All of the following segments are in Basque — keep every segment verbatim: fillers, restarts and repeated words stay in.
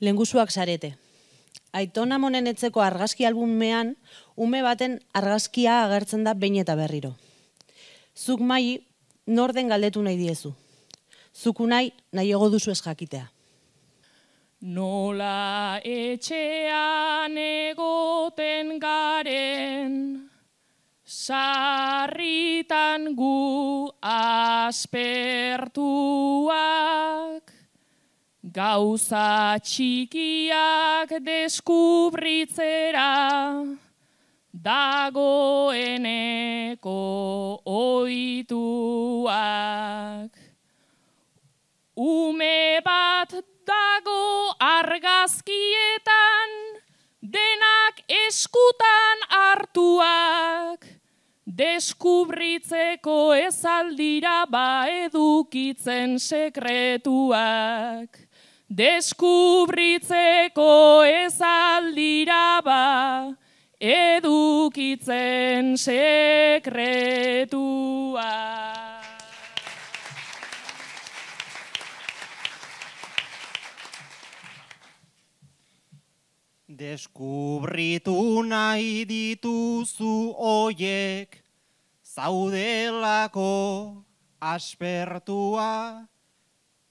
Lehengusuak zarete. Aiton Amonen etzeko argazki albumean, ume baten argazkia agertzen da behin eta berriro. Zuk Mai, nor den galdetu nahi diezu. Zuku nahi, nahiago duzu ez jakitea. Nola etxean egoten garen, sarritan gu aspertuak, gauza txikiak deskubritzera, dagoeneko ohituak. Ume bat dago argazkietan, denak eskutan hartuak, deskubritzeko ez aldira ba edukitzen sekretuak. Deskubritzeko ez aldira ba edukitzen sekretuak. Deskubritu nahi dituzu oiek, zaudelako aspertua,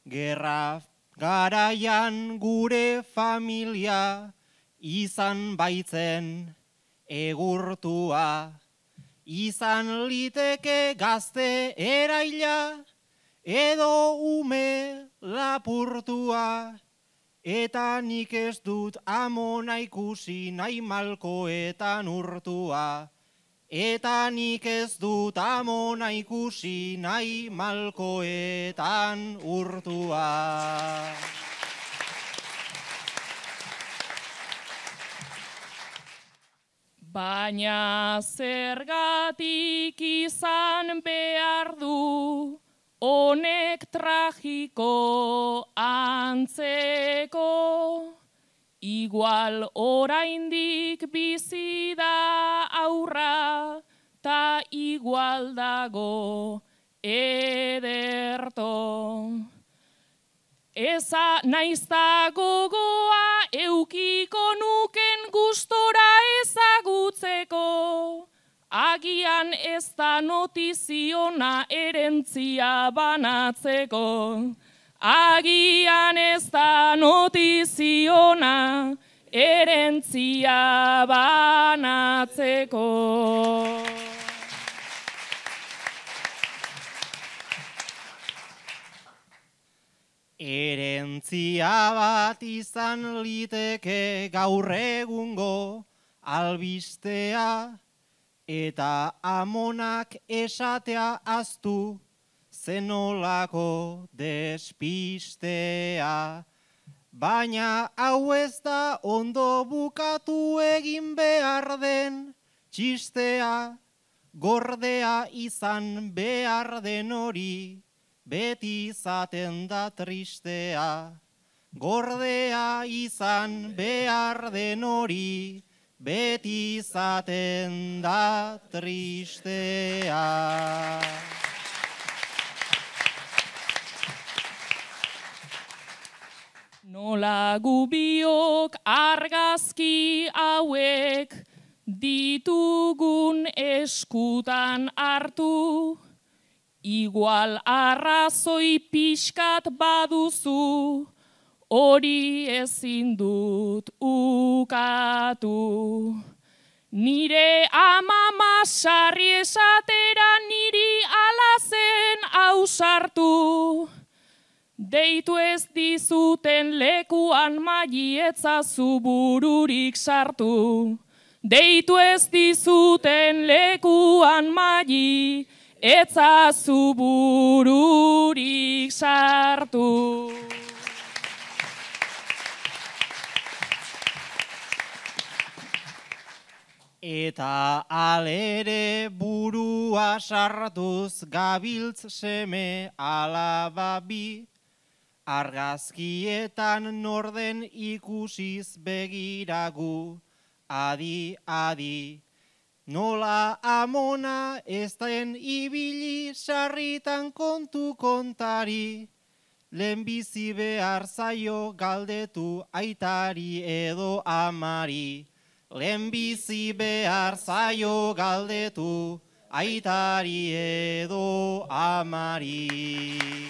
gerra garaian gure familia izan baitzen egurtua, izan liteke gazte eraila edo ume lapurtua. Eta nik ez dut Amona ikusi nahi malkoetan urtua. Eta nik ez dut Amona ikusi nahi malkoetan urtua. Baina zergatik izan behar du, honek tragiko antzeko, igual oraindik bizi da aurra, ta igual dago ederto. Eza naizta gogoa eukiko nuken gustora ezagutzeko, agian ez da notiziona erentzia banatzeko. Agian ez da notiziona erentzia banatzeko. Erentzia bat izan liteke gaur egungo albistea, eta Amonak esatea aztu zenolako despistea. Baina hau ez da ondo bukatu egin behar den txistea, gordea izan behar den hori, beti izaten da tristea. Gordea izan behar den hori, beti izaten da tristea. Nola gubiok argazki hauek ditugun eskutan hartu, igual arrazoi pixkat baduzu, hori ezin dut ukatu. Nire amama sarri esatera niri alazen ausartu. Deitu ez dizuten lekuan maietzazu bururik sartu. Deitu ez dizuten lekuan mai etzazu bururik sartu. Eta alere burua sartuz gabiltz seme alaba bi, argazkietan norden ikusiz begiragu, adi, adi. Nola Amona ez den ibili sarritan kontu kontari, lehenbizi behar zaio galdetu aitari edo amari. Lehenbizi behar zaio galdetu aitari edo amari.